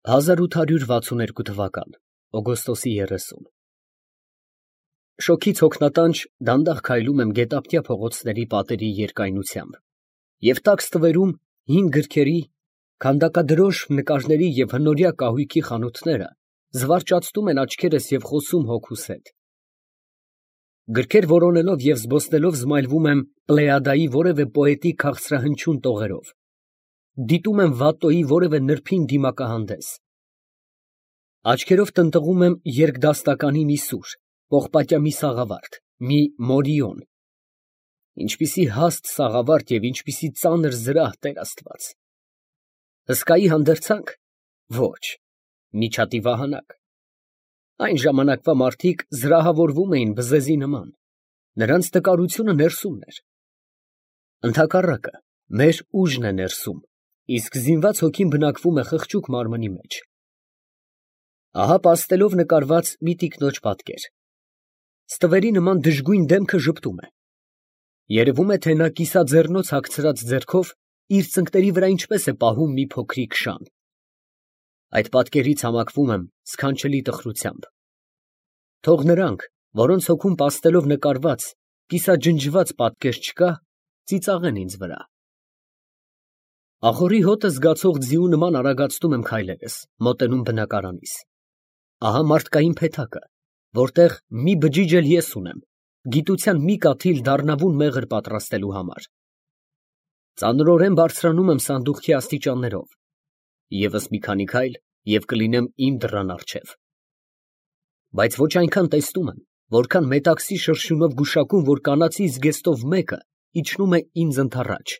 1862 թվական օգոստոսի 30 Շոգից հոգնատանջ դանդաղ քայլում եմ գետափտյա փողոցների պատերի երկայնությամբ և տաք ստվերում հին գրքերի, քանդակադրոշ նկարների և հնորյա կահույքի խանութները զվարճացնում են աչքերս և խոսում հոգուս հետ։ Գրքեր որոնելով և զբոսնելով զմայլվում եմ Պլեյադայի որևէ պոետի քաղցրահնչյուն տողերով, դիտում եմ Վատտոյի որևէ նրբին դիմակահանդես, աչքերով տնտղում եմ երկդաստականի մի սուր, պողպատյա մի սաղավարտ, մի մորիոն, ինչպիսի հաստ սաղավարտ և ինչպիսի ծանր զրահ, Տեր Աստված, հսկայի հանդերձա՞նք, ոչ, միջատի վահանակ, այն ժամանակվա մարդիկ զրահավորվում էին բզեզի նման, նրանց տկարությունը ներսումն էր, ընդհակառակը, մեր ուժն է ներսում, իսկ զինված հոգին բնակվում է խղճուկ մարմնի մեջ։ Ահա պաստելով նկարված մի տիկնոջ պատկեր, ստվերի նման դժգույն դեմքը ժպտում է, երևում է, թե նա կիսաձեռնոց հագցրած ձեռքով իր ծնկների վրա ինչպես է պահում մի փոքրիկ շան։ Այդ պատկերից համակվում եմ սքանչելի տխրությամբ։ Թող նրանք, որոնց հոգում պաստելով նկարված, կիսաջնջված պատկեր չկա, ծիծաղեն ինձ վրա։ Ախորի հոտը զգացող ձիու նման արագացնում եմ քայլերս, մոտենում բնակարանիս։ Ահա մարդկային փեթակը, որտեղ մի բջիջ էլ ես ունեմ, գիտության մի կաթիլ դառնավուն մեղր պատրաստելու համար։ Ծանրորեն բարձրանում եմ սանդուղքի աստիճաններով, ևս մի քանի քայլ և կլինեմ իմ դռան առջև։ Բայց ոչ այնքան տեսնում եմ, որքան մետաքսի շրշյունով գուշակում, որ կանացի զգեստով մեկը իջնում է ինձ ընդառաջ։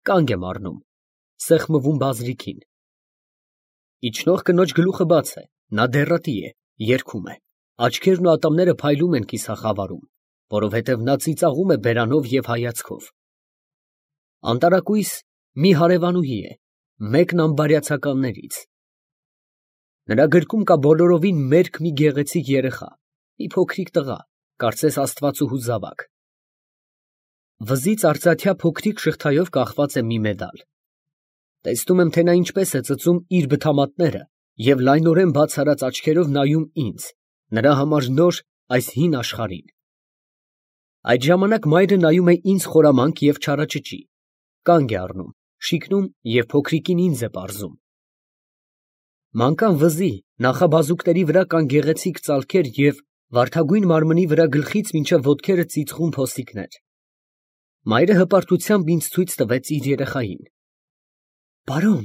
Կանգ եմ առնում, սեղմվում բազրիքին։ Իջնող կնոջ գլուխը բաց է, նա դեռատի է, երգում է, աչքերն ու ատամները փայլում են կիսախավարում, որովհետև նա ծիծաղում է բերանով և հայացքով։ Անտարակույս մի հարևանուհի է, մեկն ամբարյացականներից։ Նրա գրկում կա բոլորովին մերկ մի գեղեցիկ երեխա, մի փոքրիկ տղա, կարծես աստվածուհու զավակ։ Վզից արծաթյա փոքրիկ շղթայով կախված է մի մեդալ։ Տեսնում եմ, թե նա ինչպես է ծծում իր բթամատները և լայնորեն բաց արած աչքերով նայում ինձ, նրա համար նոր այս հին աշխարհին։ Այդ ժամանակ մայրը նայում է ինձ խորամանկ և չարաճճի, կանգ է առնում, շիկնում և փոքրիկին ինձ է պարզում։ Մանկան վզի նախաբազուկների վրա կան գեղեցիկ ծալքեր և վարդագույն մարմնի վրա գլխից մինչև ոտքերը ծիծղուն փոսիկներ։ Մայրը հպարտությամբ ինձ ցույց տվեց իր երեխային։ «Պարոն»,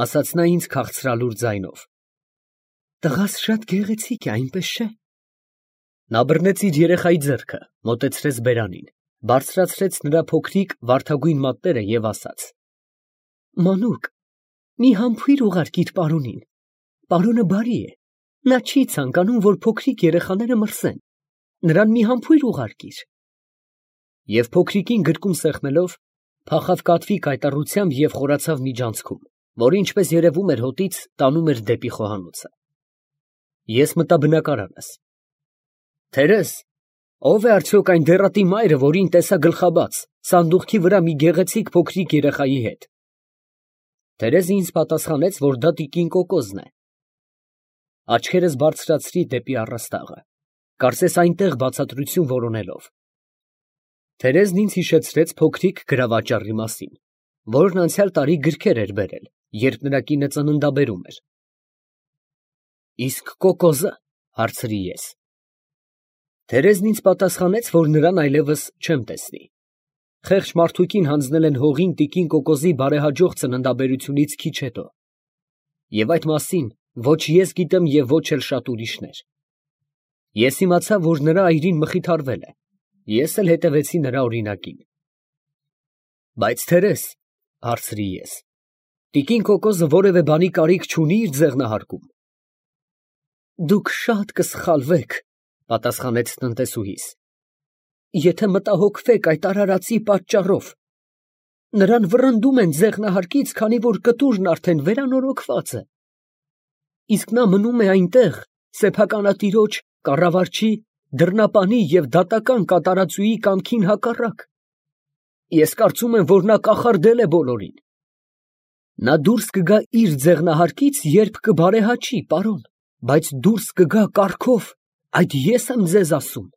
ասաց նա ինձ քաղցրալուր ձայնով, «տղաս շատ գեղեցիկ է, այնպես չէ»։ Նա բռնեց իր երեխայի ձեռքը, մոտեցրեց բերանին, բարձրացրեց նրա փոքրիկ վարդագույն մատները և ասաց. «Մանուկ, մի համբույր ուղարկիր պարոնին, պարոնը բարի է, նա չի ցանկանում, որ փոքրիկ երեխաները մրսեն, նրան մի համբույր ուղարկիր»։ Եվ փոքրիկին գրկում սեղմելով, փախավ կատվի կայտառությամբ և խորացավ միջանցքում, որը, ինչպես երևում էր հոտից, տանում էր դեպի խոհանոցը։ Ես մտա բնակարանս։ «Տերեզ, ո՞վ է արդյոք այն դեռատի մայրը, որին տեսա գլխաբաց, սանդուղքի վրա մի գեղեցիկ փոքրիկ երեխայի հետ»։ Տերեզը ինձ պատասխանեց, որ դա տիկին Կոկոզն է։ Աչքերս բարձրացրի դեպի առաստաղը, կարծես այնտեղ բացատրություն որոնելով։ Տերեզն ինձ հիշեցրեց փոքրիկ գրավաճառի մասին, որն անցյալ տարի գրքեր էր բերել, երբ նրա կինը ծննդաբերում էր։ «Իսկ Կոկոզը», հարցրի ես։ Տերեզն ինձ պատասխանեց, որ նրան այլևս չեմ տեսնի։ Խեղճ մարդուկին հանձնել են հողին տիկին Կոկոզի բարեհաջող ծննդաբերությունից քիչ հետո։ Եվ այդ մասին ոչ ես գիտեմ և ոչ էլ շատ ուրիշներ։ Ես իմացա, որ նրա այրին մխիթարվել է, ես էլ հետևեցի նրա օրինակին։ «Բայց Տերեզ», հարցրի ես, «տիկին Կոկոզը որևէ բանի կարիք չունի իր ձեղնահարկում»։ «Դուք շատ կսխալվեք», պատասխանեց տնտեսուհիս, «եթե մտահոգվեք այդ արարածի պատճառով. նրան վռնդում են ձեղնահարկից, քանի որ կտուրն արդեն վերանորոգված է, իսկ նա մնում է այնտեղ սեփականատիրոջ, կառավարչի, դռնապանի և դատական կատարածուի կամքին հակառակ։ Ես կարծում եմ, որ նա կախարդել է բոլորին»։ Նա դուրս կգա իր ձեղնահարկից, երբ կբարեհաճի, պարոն, բայց դուրս կգա կառքով, այդ ես եմ ձեզ ասում։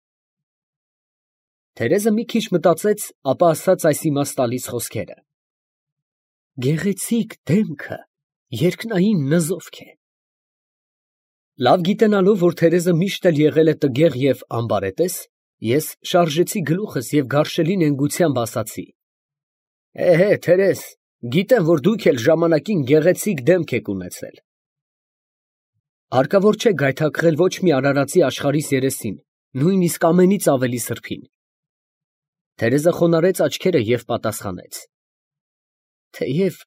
Թերեզը մի քիչ մտածեց, ապա ասաց այս իմաստ տալիս խոսքերը. Գեղեցիկ դեմքը երկնային նզովք է։ Լավ գիտենալով, որ Թերեզը միշտ էլ եղել է տգեղ և անբարետես, ես շարժեցի գլուխս և գարշելի նենգությամբ ասացի. Թերեզ, գիտեմ, որ դուք էլ ժամանակին գեղեցիկ դեմք եք ունեցել։ Հարկավոր չէ գայթակղել ոչ մի արարածի աշխարհիս երեսին, նույնիսկ ամենից ավելի սրբին։ Թերեզը խոնարհեց աչքերը և պատասխանեց. Թեև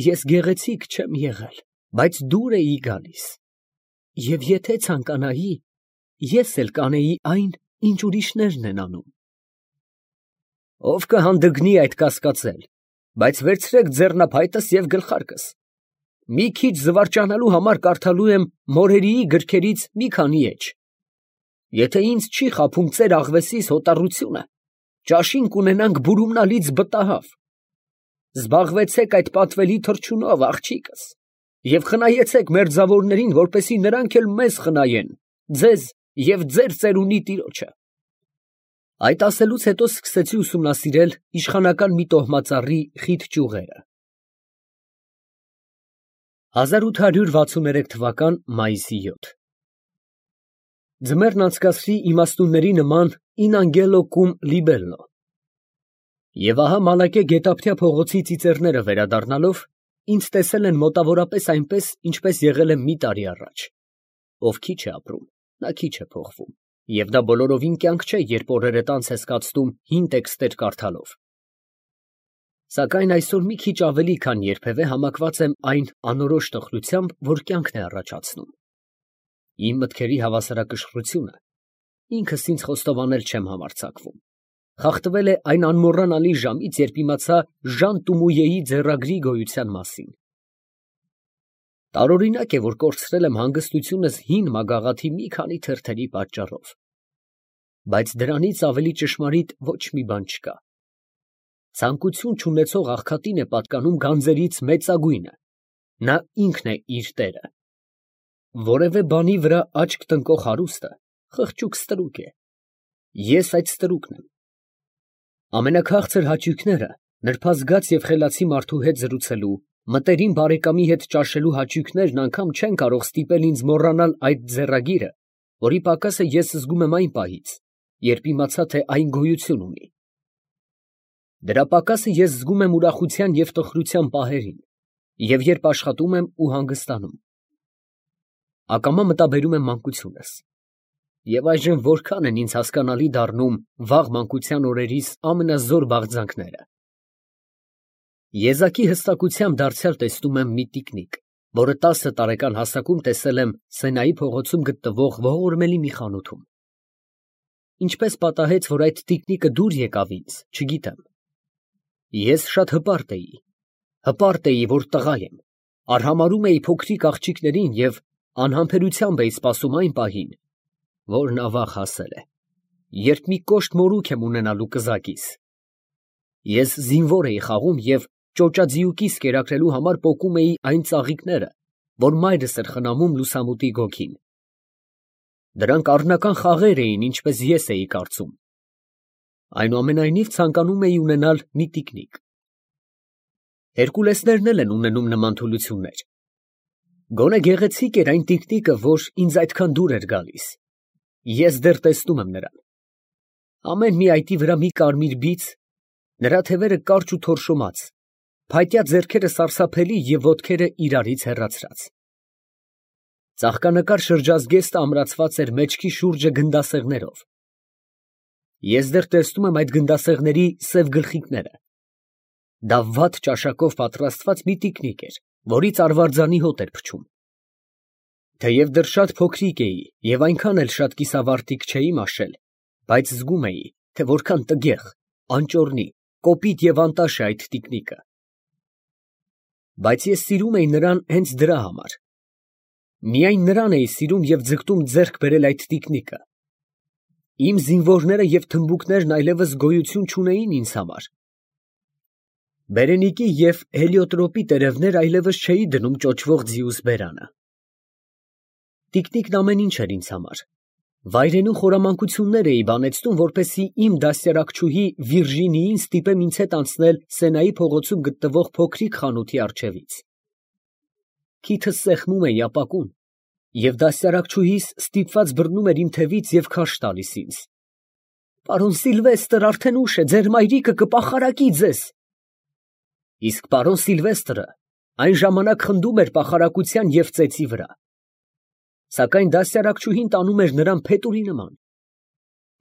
ես գեղեցիկ չեմ եղել, բայց դուր էի գալիս, և եթե ցանկանայի, ես էլ կանեի այն, ինչ ուրիշներն են անում։ Ով կհանդգնի այդ կասկածել, բայց վերցրեք ձեռնափայտս և գլխարկս։ Մի քիչ զվարճանալու համար կարդալու եմ Մորերիի գրքերից մի քանի էջ։ Եթե ինձ չի խաբում ծեր աղվեսիս հոտառությունը, ճաշին կունենանք բուրումնալից բտահավ։ Զբաղվեցեք այդ պատվելի թռչունով, աղջիկս, և խնայեցեք մերձավորներին, որպեսզի նրանք էլ մեզ խնայեն, ձեզ և ձեր ծերունի տիրոջը։ Այդ ասելուց հետո սկսեցի ուսումնասիրել իշխանական մի տոհմածառի խիտ ճյուղերը։ 1863 թվական մայիսի 7 Ձմեռն անցկացրի իմաստունների նման in angelo cum libello։ Եվ ահա Մալակե գետափթյա փողոցի ծիծեռները վերադառնալով, ինձ տեսել են մոտավորապես այնպես, ինչպես եղել եմ մի տարի առաջ։ Ով քիչ է ապրում, նա քիչ է փոխվում, և դա բոլորովին կյանք չէ, երբ օրերդ անց ես կացնում հին տեքստեր կարդալով։ Սակայն այսօր մի քիչ ավելի, քան երբևէ համակված եմ այն անորոշ տխրությամբ, որ կյանքն է առաջացնում։ Իմ մտքերի հավասարակշռությունը, ինքս ինձ խոստովանել չեմ համարձակվում, խախտվել է այն անմոռանալի ժամից, երբ իմացա Ժան Տումույեի ձեռագրի գոյության մասին։ Տարօրինակ է, որ կորցրել եմ հանգստությունս հին մագաղաթի մի քանի թերթերի պատճառով, բայց դրանից ավելի ճշմարիտ ոչ մի բան չկա։ Ցանկություն չունեցող աղքատին է պատկանում գանձերից մեծագույնը, նա ինքն է իր տերը։ Որևէ բանի վրա աչք տնկող հարուստը խղճուկ ստրուկ է, ես այդ ստրուկն եմ։ Ամենաքաղցր հաճույքները նրբազգաց և խելացի մարդու հետ զրուցելու, մտերիմ բարեկամի հետ ճաշելու հաճույքներն անգամ չեն կարող ստիպել ինձ մոռանալ այդ ձեռագիրը, որի պակասը ես զգում եմ այն պահից, երբ իմացա, թե այն գոյություն ունի։ Դրա պակասը ես զգում եմ ուրախության և տխրության պահերին, և երբ աշխատում եմ ու հանգստանում։ Ակամա մտաբերում եմ մանկությունս, և այժմ որքան են ինձ հասկանալի դառնում վաղ մանկության օրերիս ամենազոր բաղձանքները։ Եզակի հստակությամբ դարձյալ տեսնում եմ մի տիկնիկ, որը 10 տարեկան հասակում տեսել եմ Սենայի փողոցում գտնվող ողորմելի մի խանութում։ Ինչպես պատահեց, որ այդ տիկնիկը դուր եկավ ինձ, չգիտեմ։ Ես շատ հպարտ էի, որ տղա եմ, արհամարհում էի փոքրիկ աղջիկներին և անհամբերությամբ էի սպասում այն պահին, որ նա վաղ հասել է, երբ մի կոշտ մորուք եմ ունենալու կզակիս։ Ես զինվոր էի խաղում և ճոճաձիուկիս կերակրելու համար պոկում էի այն ծաղիկները, որ մայրս էր խնամում լուսամուտի գոգին։ Դրանք առնական խաղեր էին, ինչպես ես էի կարծում։ Այնուամենայնիվ ցանկանում էի ունենալ մի տիկնիկ։ Հերկուլեսներն էլ են ունենում նման թուլություններ։ Գոնե գեղեցիկ էր այն տիկնիկը, որ ինձ այդքան դուր էր գալիս։ Ես դեռ տեսնում եմ նրան։ Ամեն մի այտի վրա մի կարմիր բիծ, նրա թևերը կարճ ու թորշոմած, փայտյա ձեռքերը սարսափելի և ոտքերը իրարից հեռացրած։ Ծաղկանկար շրջազգեստը ամրացված էր մեջքի շուրջը գնդասեղներով։ Ես դեռ տեսնում եմ այդ գնդասեղների սև գլխիկները։ Դա վատ ճաշակով պատրաստված մի տիկնիկ էր, որից արվարձանի հոտ էր փչում։ Թեև դեռ շատ փոքրիկ էի և այնքան էլ շատ կիսավարտիք չէի մաշել, բայց զգում էի, թե որքան տգեղ, անճոռնի, կոպիտ և անտաշ է այդ տիկնիկը։ Բայց ես սիրում էի նրան հենց դրա համար։ Միայն նրան էի սիրում և ձգտում ձեռք բերել այդ տիկնիկը։ Իմ զինվորները և թմբուկներն այլևս գոյություն չունեին ինձ համար։ Բերենիկի և հելիոտրոպի տերևներ այլևս չէի դնում ճոճվող ձիուս բերանը։ Տիկնիկն ամեն ինչ էր ինձ համար։ Վայրենու խորամանկություններ էի բանեցնում, որպեսզի իմ դաստիարակչուհի Վիրժինիին ստիպեմ ինձ հետ անցնել Սենայի փողոցում գտնվող փոքրիկ խանութի առջևից։ Քիթս սեղմում էի ապակուն, և դաստիարակչուհիս ստիպված բռնում էր իմ թևից և քարշ տալիս ինձ։ «Պարոն Սիլվեստր, արդեն ուշ է, ձեր մայրիկը կպախարակի ձեզ»։ Իսկ պարոն Սիլվեստրը այն ժամանակ խնդում էր պախարակության և ծեծի վրա։ Սակայն դաստիարակչուհին տանում էր նրան փետուրի նման։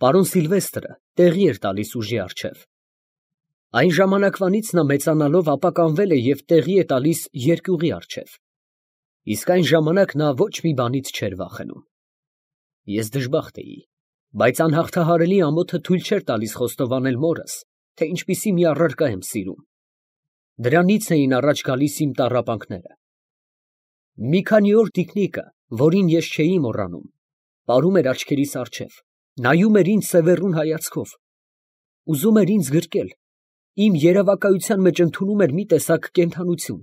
Պարոն Սիլվեստրը տեղի էր տալիս ուժի առջև։ Այն ժամանակվանից նա մեծանալով ապականվել է և տեղի է տալիս երկյուղի առջև։ Իսկ այն ժամանակ նա ոչ մի բանից չէր վախենում։ Ես դժբախտ էի, բայց անհաղթահարելի ամոթը թույլ չէր տալիս խոստովանել մորս, թե ինչպիսի մի առարկա եմ սիրում։ Դրանից էին առաջ գալիս իմ տառապանքները։ Մի քանի օր տիկնիկը, որին ես չէի մոռանում, պարում էր աչքերիս առջև, նայում էր ինձ սևեռուն հայացքով, ուզում էր ինձ գրկել, իմ երևակայության մեջ ընդունում էր մի տեսակ կենդանություն,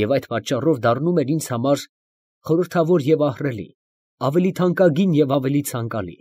և այդ պատճառով դառնում էր ինձ համար խորհրդավոր և ահռելի, ավելի թանկագին և ավելի ցանկալի։